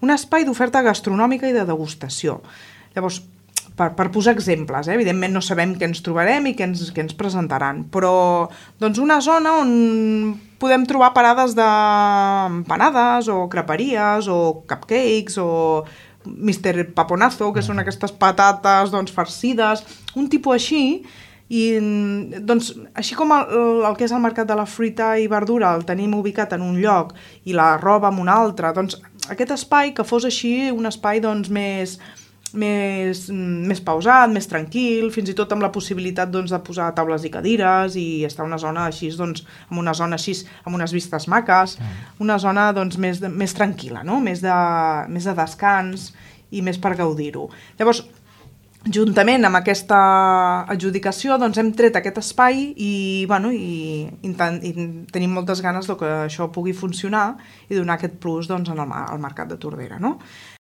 un espai d'oferta gastronòmica i de degustació. Llavors, per posar exemples, evidentment no sabem què ens trobarem i què ens presentaran, però doncs una zona on podem trobar parades d'empanades o creperies o cupcakes o Mr. Paponazo, que són aquestes patates doncs, farcides, un tipus així. I doncs, així com el que és el mercat de la fruita i verdura el tenim ubicat en un lloc i la roba en un altre, doncs aquest espai que fos així un espai doncs, més pausat, més tranquil, fins i tot amb la possibilitat doncs, de posar taules i cadires i estar en una zona així, doncs, amb unes vistes maques, una zona doncs, més tranquil·la, no? més de descans i més per gaudir-ho. Llavors, juntament amb aquesta adjudicació doncs hem tret aquest espai i tenim moltes ganes que això pugui funcionar i donar aquest plus doncs, al mercat de Tordera. No?